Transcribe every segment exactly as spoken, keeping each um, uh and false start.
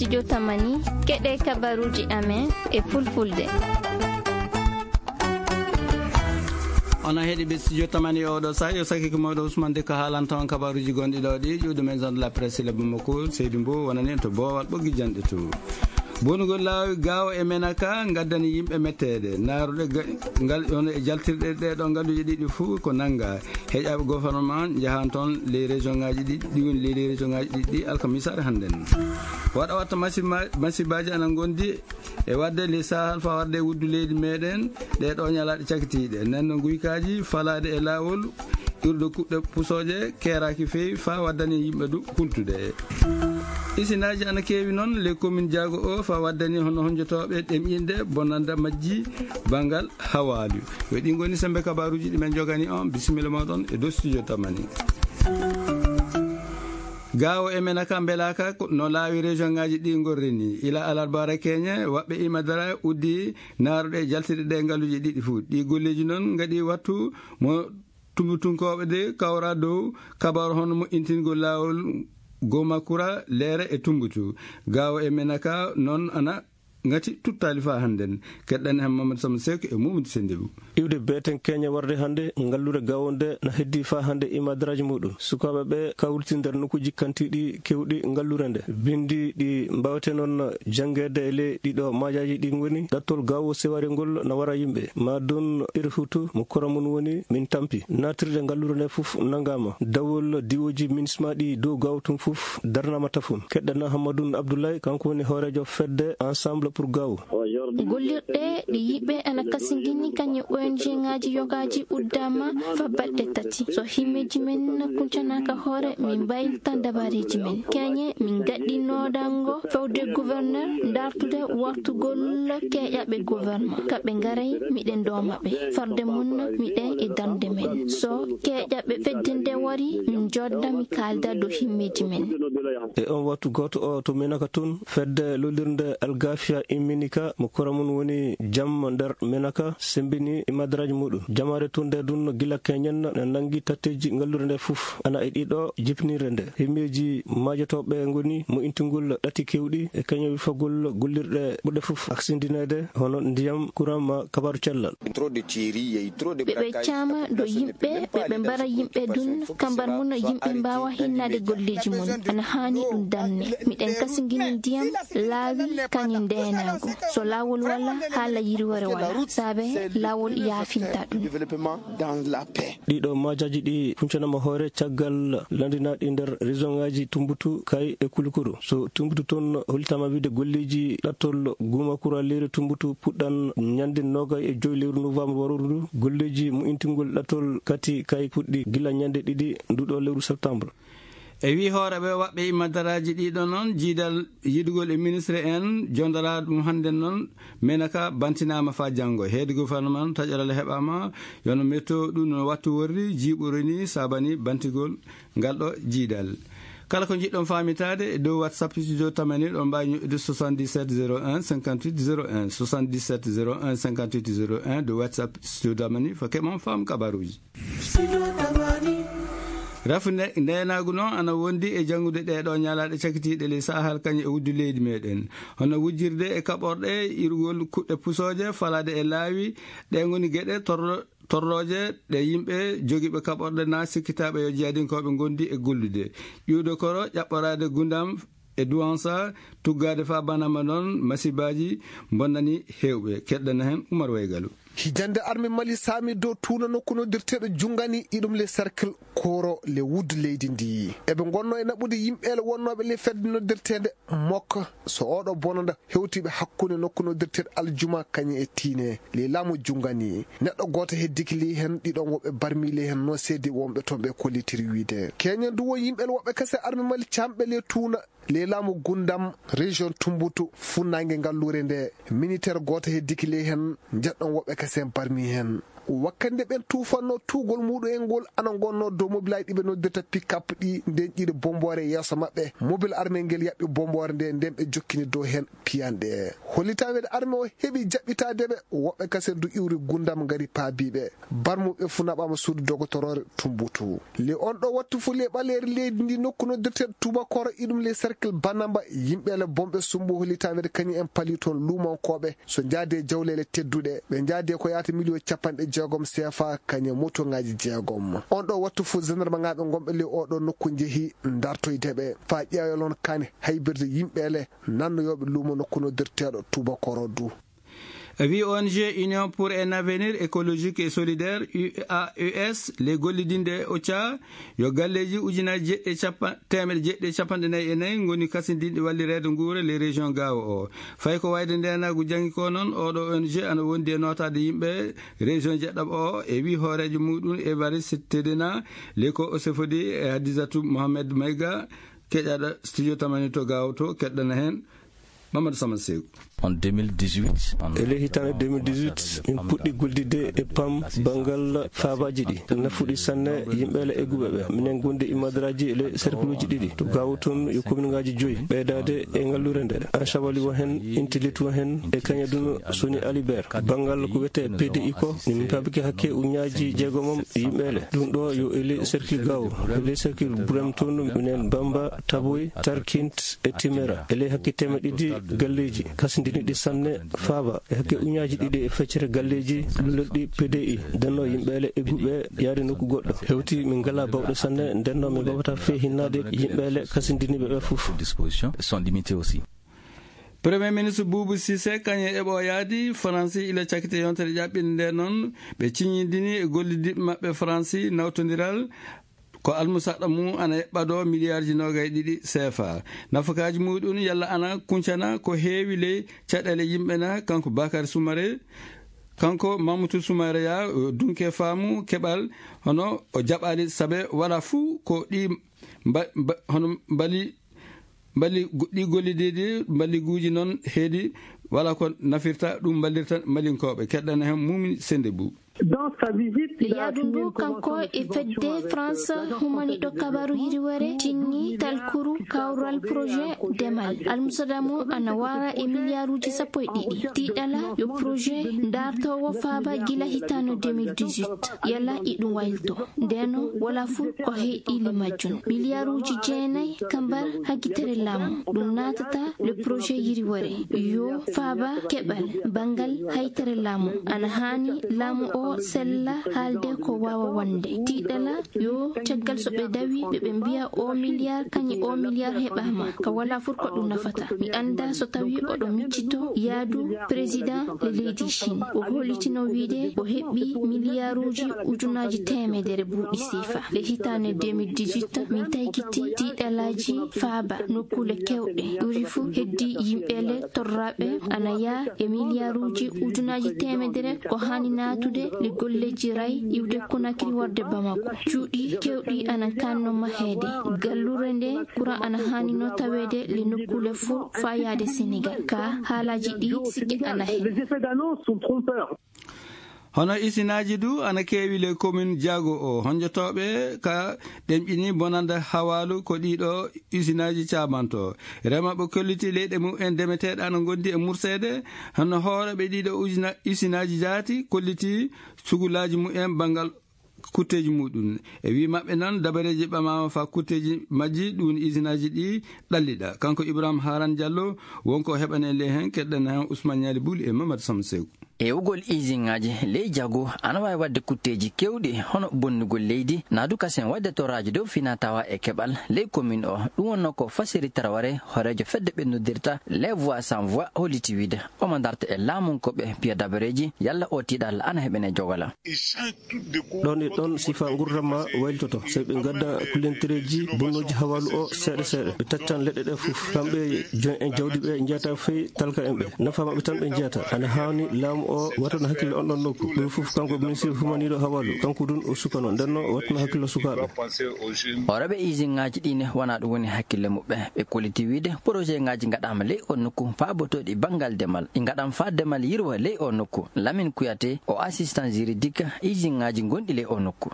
Studio Tamani, keɗee kabaruuji amen e fulfulde. Onon heɗiiɓe Studio Tamani, oo ɗoo sahaa yo sakiike mooɗon Ousmane Dikko haalanta on kabaruuji gonɗi ɗoo ɗi, ƴuwɗo maison de la presse le Bamako, Seydou Mbow wonani en to boowal ɓoggi janɗe to. Bonugol laawi Gaawo e Menaka ngaddani yimɓe metteede. Naaruɗe ga-, ngal, hono e jaltirɗe ɗee ɗoo ngalluuje ɗiɗi fuu ko nanngaa. Heƴaaɓe gouvernement njahan toon ley région ŋaaji ɗiɗi, ɗi woni ley, ley région ŋaaji ɗiɗi ɗi alkamisaare hannden. Waɗa watta masiba-, masibaaji ana ngondi e waɗde ley Sahel faa warde e wuddu leydi meeɗen, ɗee ɗoo ñalaaɗe cakitiiɗe. Nden no nguykaaji falaade e laawol, iwrude kuɗɗe pusooje, keeraaki feewi faa waddani yimɓe du kultude. Isinaaji ana keewi noon ley commune Diago o faa waddani hono honjotooɓe ɗemƴinde bonnanda majji banngal hawaalu. Yo ɗi ngoni semmbe kabaruuji ɗi men njogani on. Bisimilla mooɗon e dow Studio Tamani. Gaawo e Menaka mbelaaka ko no laawi région ŋaaji ɗi ngorri ni. Ila alarbaare keñe, waɓɓe Imadara uddi naaruɗe jaltirɗe ɗe ngalluuje ɗiɗi fuu. Ɗi golleeji noon ngaɗi wattu mo tumbutunkooɓe de kawra dow kabaru hono moƴƴintingol laawol Gomakura, Leere e Tumbutu. Gaawo e Menaka noon ana ngati tuttaali faa hannden. Keɗɗani han Mamadou Samba Seck e Mamadou Sendebou. Iwde beeten keñe warde hannde, ngallure Gaawo nde na heddii faa hannde e madaraaji muuɗum. Sukaaɓe ɓe kawriti nder nokkuuji kantiiɗi keewɗi ngallure nde. Binndi ɗi mbaawetee noon janngeede e ley ɗiɗo majaaji ɗi ngoni, ɗattol Gaawo Seware ngol na wara yimɓe. Maadun Irhutu mo kora mum woni min tampi. Naatirde ngallure nde fof nanngaama. Dawol diwooji minisma ɗi dow Gaawo tun fof darnaama tafon. Keɗɗana Hammadun Abdoulaye, kanko woni hooreejo fedde Ensemble pour Gaawo. Gollirɗe ɗe yimɓe ana kasindini kañum e O N G ŋaaji yogaaji uddaama faa balɗe tati. So himmeeji men kuncanaaka hoore, min mbaylita dabareeji men. Keñe, min ngaɗi noodango fewde gouverneur, dartude wartugol keeƴaɓe gouvernement. Ka ɓe ngaray, miɗen dooma ɓe. Farde mun, miɗen e darnde men. So keeƴaɓe fedde nde wari, min njooɗda, mi kaalda dow himmeeji men. E on wattu gooto o to Menaka tun, fedde lollirnde Algafia immini ka, mo kora mun woni jam nder Menaka, sembini e madaraaji muɗum. Jamaare tun nde dun gila keñen na nangi tatteeji ngallure nde fuf. Ana e ɗiɗo jipnirde nde. Himmeeji maajotooɓe ngoni mo intugol ɗati kewɗi e keñe wifagol gollirɗe ɓurɗe fuf aksindineede, hono ndiyam, kuran ma kabaru cellal. Ɓe ɓe caama dow yimɓe, ɓe ɓe mbara yimɓe dun, kambar mun yimɓe mbaawa hinnaade golleeji mun. Ana haani ɗun darne. Miɗen kasingini ndiyam, laawi, kañum ndeenaagu. So laawol wala, haala yirwere wala. Saabe laawol yaafinta ɗun. Ɗiɗo maajaaji ɗi funcanama hoore caggal landinaaɗi nder région ŋaaji Tumbutu, Kay e Kulukuru. So Tumbutu toon hollitaama wiide golleeji ɗattol Gumakura leydi Tumbutu puɗɗan ñande noogay e joy lewru novembre warooru ndu. Golleeji mo'intingol ɗattol kati Kay puɗɗi gila ñande ɗiɗi nduɗo lewru septembre. E wii hooreeɓe waɓɓe e madaraaji ɗiɗo noon, jiidal yiɗugol e ministre en, jondoraaɗo ɗum hannde noon, Menaka bantinaama faa janngo. Heedi gouvernement taƴoral heɓaama, yono metto ɗum no wattu worri, jiiɓuru ni saabani bantigol ngal ɗo jiidal. Kala ko njiɗɗon faamitaade e dow WhatsApp Studio Tamani, ɗon mbaawi ñoƴƴude soixante-dix-sept zéro un cinquante-huit zéro un, soixante-dix-sept zéro un cinquante-huit zéro un, dow WhatsApp Studio Tamani, faa keɓon faam kabaruuji. Rafu nde-, ndeenaagu noon ana wondi e janngude ɗee ɗoo ñalaaɗe cakitiiɗe ley Sahel kañum e wuddu leydi meeɗen. Hono wujjirde e kaɓorɗe, iwrugol kuɗɗe pusooje, falaade e laawi, ɗee ngoni geɗe torro-, torrooje ɗe yimɓe jogiiɓe kaɓorɗe naa sikkitaaɓe yo jihadinkooɓe ngondi e gollude. Ƴuwde koro, ƴaɓɓoraade gundam e duwansa, tuggaade faa banama noon masibaaji bonnani heewɓe. Keɗɗana heen Umar Waygalu. Hijannde arme Mali saami dow tuuna nokku noddirteeɗo Jungani, iɗum le cercle Koro le wuddu leydi ndi. Eɓe ngonnoo e naɓude yimɓeele wonnooɓe le fedde noddirteende Mok, so ooɗo bonanda hewtiiɓe hakkunde nokku noddirteeɗo Aljuma kañum e Tiine le laamu Jungani. Neɗɗo gooto heddiki ley heen, ɗiɗon woɓɓe barmi ley heen, no seedi wonɓe toon ɓe kollitiri wiide. Keñen du won yimɓeele woɓɓe kese arme Mali caamɓe le tuuna. Le laamu Gundam, région Tumbutu, funnaange ngalluure nde, militeer gooto heddiki ley heen, njeɗɗon woɓɓe kasen barmi heen. Wakkati nde ɓen tuufannoo, tuugol muuɗum en ngol ana ngonnoo dow mobilaaji ɗi ɓe noddirta pick-up ɗii, nden ƴiire bommboore e yeeso maɓɓe. Mobil armel ngel yaɓɓi bommboore ndee, nden ɓe jokkini dow hen piyanɗe. Hollitaama wiyeede armee oo heɓii jaɓɓitaade ɓe, woɓɓe kasen du iwri gundam ngari paabii ɓe. Barmuɓe fuu naɓaama suudu dogotoroore Tumbuktu. Ley on ɗoo wattu fuu, ley ɓaleeri leydi ndii, nokku noddirteeɗo Tuubakoro, iɗum ley cercle Banamba, yimɓe le bomɓe sumbu hollitaama wiyeede kañum en palii toon luumankooɓe. So njaadi e jawleele tedduɗe, ɓe njaadi e ko yaata miliyon capanɗe jeegom seefa, kañum e motoŋaaji jeegom. On ɗoo wattu fuu, gendarmaaŋaaɓe gonɓe ley oo ɗoo nokku njehii ndartoyde ɓe, faa ƴeewa yalla on kaani haybirde yimɓe le nannoyooɓe luumo nokku noddirteeɗo Tuubakoro du. E wii O N G Union pour un avenir écologique et solidaire, U A E S, ley gollidinde e OCHA, yo galleeji ujunaaji jeeɗiɗi e cappan-, teemeɗɗe jeeɗiɗi e cappanɗe nayi e nayi ngoni kasindinɗi wallireede nguura ley région Gaawo oo. Fay ko wayde ndeenaagu janngi koo non, oo ɗoo O N G ana wondi e nootaade yimɓe région jeeɗiɗaɓo oo, e wii hooreejo muuɗum Évariste Tedena, ley ko o sefodi e Hadisatu Mohamed Mayga, keƴaaɗo studio tamani to Gaawo to, keɗɗana heen Mamadou Sama Seeku. En deux mille dix-huit, en E ley hitaande deux mille dix-huit, min puɗɗi gollidde e PAM banngal faabaaji ɗi. Nafuɗi sanne yimɓe le egguɓe ɓe. Minen ngondi e madaraaji e ley cercluuji ɗiɗi. To Gaawo toon, yo kominŋaaji joyi. Ɓeydaade e ngalluure nde, Anchabali wo hen, Intilit wo hen, e kañum duu Soni Alibert. Banngal ko wiyetee P D I ko, min paabike hakke ujunnaaji jeegom yimɓe le. Ɗum ɗoo yo e ley cercle Gaawo, e ley cercle Burem toon, minen Bamba, Taboy, Tarkint, e Timera. E ley hakke teemeɗɗe ɗiɗi galleeji, kasindiniiɗi sanne, faaba e hakke ujunnaaji ɗiɗi e feccere galleeji lullorɗi P D I, ndennoo yimɓe le egguɓe yaade nokku goɗɗo. Hewti min ngalaa baawɗe sanne, ndennoo min mbaawataa fee hinnaade yimɓe le kasindiniiɓe ɓe fof. Dispositions sont limitées aussi. Premier ministre Boubou Cissé, kañum e ɓooyaade Faransi ila cakkite yontere ƴaɓɓinde nde non, ɓe ciññindini e gollidiiɓe maɓɓe Faransi nawtondiral ko almusaɗa mum ana eɓɓadoo miliyaarji noogay ɗiɗi seefa. Nafakaaji muuɗum yalla ana kuncana ko heewi ley caɗeele yimɓe na, kanko Bakary Soumaré, kanko Mamoutou Soumaré ya, o dunke faamu keɓal, hono o jaɓaali sabe wala fuu ko ɗi mba-, mba-, hono mbali, mbali go-, ɗi gollidiiɗi mballiguuji non heedi wala ko nafirta ɗum mballirta malinkooɓe. Keɗɗana hen Mumini Sende Bou. E yaadu ndu kanko e fedde France humaniiɗo kabaru yiriwere tinni talkuru kawral projet demal. Almusada mum ana wara e miliyaaruuji sappo e ɗiɗi. Tiiɗala yo projet ndaartoowo faaba gila hitaande deux mille dix-huit. Yala iɗum waylito. Ndeno wala fuu ko heyɗi le majjum. Miliyaaruuji jeenay kambar hagitere laamu. Ɗum naatata le projet yiriwere. Yo faaba keɓal banngal haytere laamu. Ana haani laamu o sella haalde ko waawa wonde. Tiiɗala yo caggal so ɓe dawi ɓe, ɓe mbiya o miliyaar kañum o miliyaar heɓaama. Ka wala fuu ko ɗum nafata. Mi annda so tawi oɗo miccito yaadu président le leydi Chine. O hollitino wiide o heɓi miliyaaruuji ujunaaji teemedere buuɗi siifa. Le hitaande deux mille dix-huit, min taykiti tiiɗalaaji faaba nokkuule keewɗe. Ɓuri fuu heddii yimɓe le torraaɓe ana yaa e miliyaaruuji ujunaaji teemedere ko haani naatude le golleeji ray iwde Conakry warde Bamako. Cuuɗi keewɗi ana kaanno maheede. Galluure nde kuraŋ ana haani no taweede le nokkuule fuu faa yaade Senegal. Ka haalaaji ɗi sikke ana hen. Hono isinaaji du ana keewi ley komin Jaago o. Honjotooɓe ka ɗemƴini bonanda hawaalu ko ɗiɗo isinaaji caabanto. Remooɓe kolliti leyɗe mum en demeteeɗe ana ngondi e murseede. Hono hooreeɓe ɗiɗo ujina-, isinaaji jaati kolliti sugulaaji mum en banngal kutteeji muɗum. E wii maɓɓe noon, dabareeji ɓamaama faa kutteeji majji, ɗum isinaaji ɗi ɗalliɗa. Kanko Ibrahima Haran Diallo, wonko o heɓani en ley heen, keɗɗen heen Ousmane Niali Bouly e Mamadou Samb Seeku. Ewugol isinaaji ley Jaago ana waawi waɗde kutteeji keewɗi, hono bonnugol leydi, naa du kasen waɗde torraaji dow finaa tawaa e keɓal ley komin o. Ɗum wonnoo ko Fasiri Taraware, hooreejo fedde ɓe noddirta Les Voix Sans Voix, holliti wiide omo darta e laamunkooɓe piya dabareeji, yalla oo tiiɗal ana heɓene jogala. Ɗon e ɗon sifaa nguurndam maa waylitoto. So ɓe ngadda kullentereeji bonnooji hawaalu o seeɗa seeɗa, ɓe taccan leɗɗe ɗe fof. Kamɓe joom en jawdi ɓe njiyataa fey talka en ɓe. Nafaa maɓɓe tan ɓe njiyata. Ana haani laamu o wattana hakkille on ɗon nokku. Ɗum fof kanko ministre humaniiɗo hawalu, kanko dun o sukano, nden non o wattana hakkille sukaaɓe. Horeeɓe isinŋaaji ɗi ne wonaa ɗum woni hakkille muɓɓe. Ɓe kolliti wiide porojeeŋaaji ngaɗaama ley oo nokku faabotooɗi banngal demal. Ɗi ngaɗaama faa demal yirwa ley oo nokku. Lamin Kuyate o assistant juridique isinŋaaji gonɗi ley oo nokku.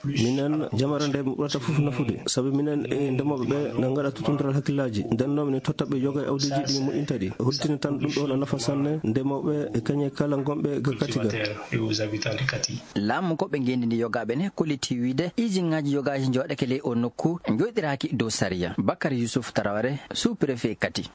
Minen jamara nde mi ɓurata fof nafude, sabi minen e ndemooɓe ɓe na ngaɗa tuttundiral hakkillaaji. Nden non minen totta ɓe yoga e awdiiji ɗi moƴƴinta ɗi. Holtini tan ɗum ɗoon a nafa sanne ndemooɓe e kañe kala ngonɓe ga Kati ga. Laamu ko ɓe ngenndi ndi yogaaɓe ne kolliti wiide isinŋaaji yogaaji njooɗake ley oo nokku njooɗiraaki dow sariya. Bakar Yusuf Taraware, sous-préfet Kati.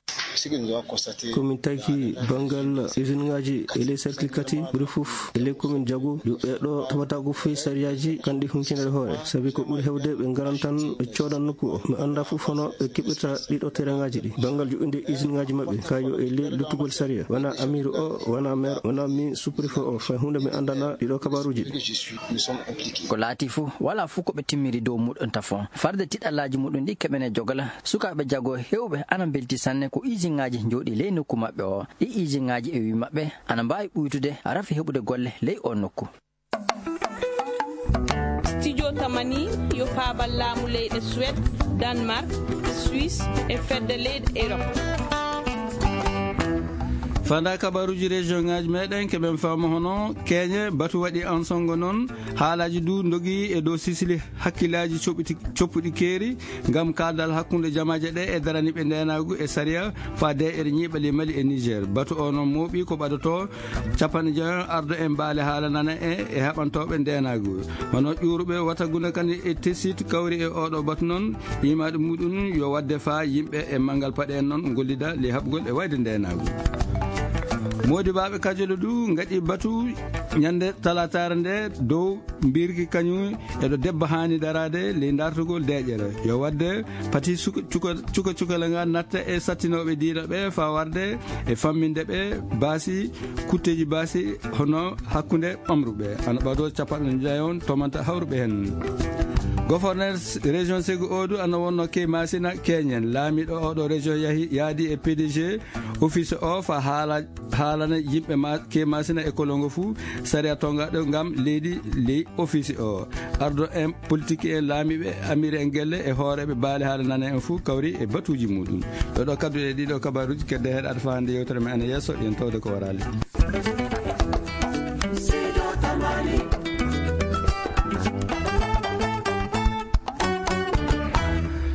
Ko min taki banngal isinŋaaji e ley cercle Kati ɓuri fof e ley commune Jago, yo ɓee ɗo tawata ko fii sariyaaji kanɗi hunkinere hoore, sabi ko ɓuri heewde ɓe ngaran tan ɓe coodan nokku o. Mi annda fof hono ɓe keɓirta ɗiɗo terrainŋaaji ɗi. Banngal joɗɗinde isinŋaaji maɓɓe, ka yo e ley luttugol sariya, wona amiiru o, wona maire, wona min sous-préfet o, fay huunde mi anndana ɗiɗo kabaaruuji ɗi. Ko laati fof, walaa fof ko ɓe timmiri dow muɗum tafon. Farde tiɗallaaji muɗum ɗi keɓene jogala, sukaaɓe Jago heewɓe ana mbelti sanne ko isinŋaaji njooɗi ley nokku maɓɓe o. Ɗi isinŋaaji e wii maɓɓe ana mbaawi ɓuytude rafi heɓude golle ley oo nokku. Studio Tamani yo paabal laamu leyɗe Suède, Danemark, Suisse e fedde leyɗe Europe. Fanda kabaruuji région ŋaaji meɗen keɓen fama hono Keñe, batu waɗi ensongo non, haalaaji du ndogi e dow sisili hakkillaaji coɓɓiti-, coppuɗi keeri ngam kaaldal hakkunde jamaaje ɗe e daraniiɓe ndeenaagu e sariya faa deeƴere ñiiɓali Mali e Niger. Batu o non mooɓi ko ɓadotoo capanɗe jeego ardo en baale haala nana e, e haɓantooɓe ndeenaagu. Hono ƴuuruɓe wata guna kan e tesit kawri e oɗo batu non, imaade muɗum yo wadde faa yimɓe e manngal paɗe en non ngollida ley haɓugol e wayde ndeenaagu. Moodibaaɓe Kajola du ngaɗi batu ñande talaataare nde dow mbirki kañum eɗo debbo haani daraade ley dartugol deeƴere. Yo wadde pati suka, cuka, cuka, cukala nga natta e sattinooɓe diina ɓe faa warde e famminde ɓe baasi, kutteeji baasi hono hakkunde omruɓe. Ana ɓadoo capanɗe nayon tomanta hawruɓe hen. Gouverneur région Ségou o du ana wonno Key Masina Keñen. Laamiiɗo oɗo région yahi, yaadi e P D G office o faa haala haalana yimɓe ma, Key Masina e kolongo fuu sariya tongaaɗo ngam leydi ley office o. Ardo en politique en laamiiɓe, amiire en gelle e hooreeɓe baale haala nana en fuu kawri e batuuji muɗum. Ɗo ɗo kaddu e ɗiɗo kabaruuji kedde heɗaade faa hannde yewtere men ana yeeso, yen tawde ko waraali.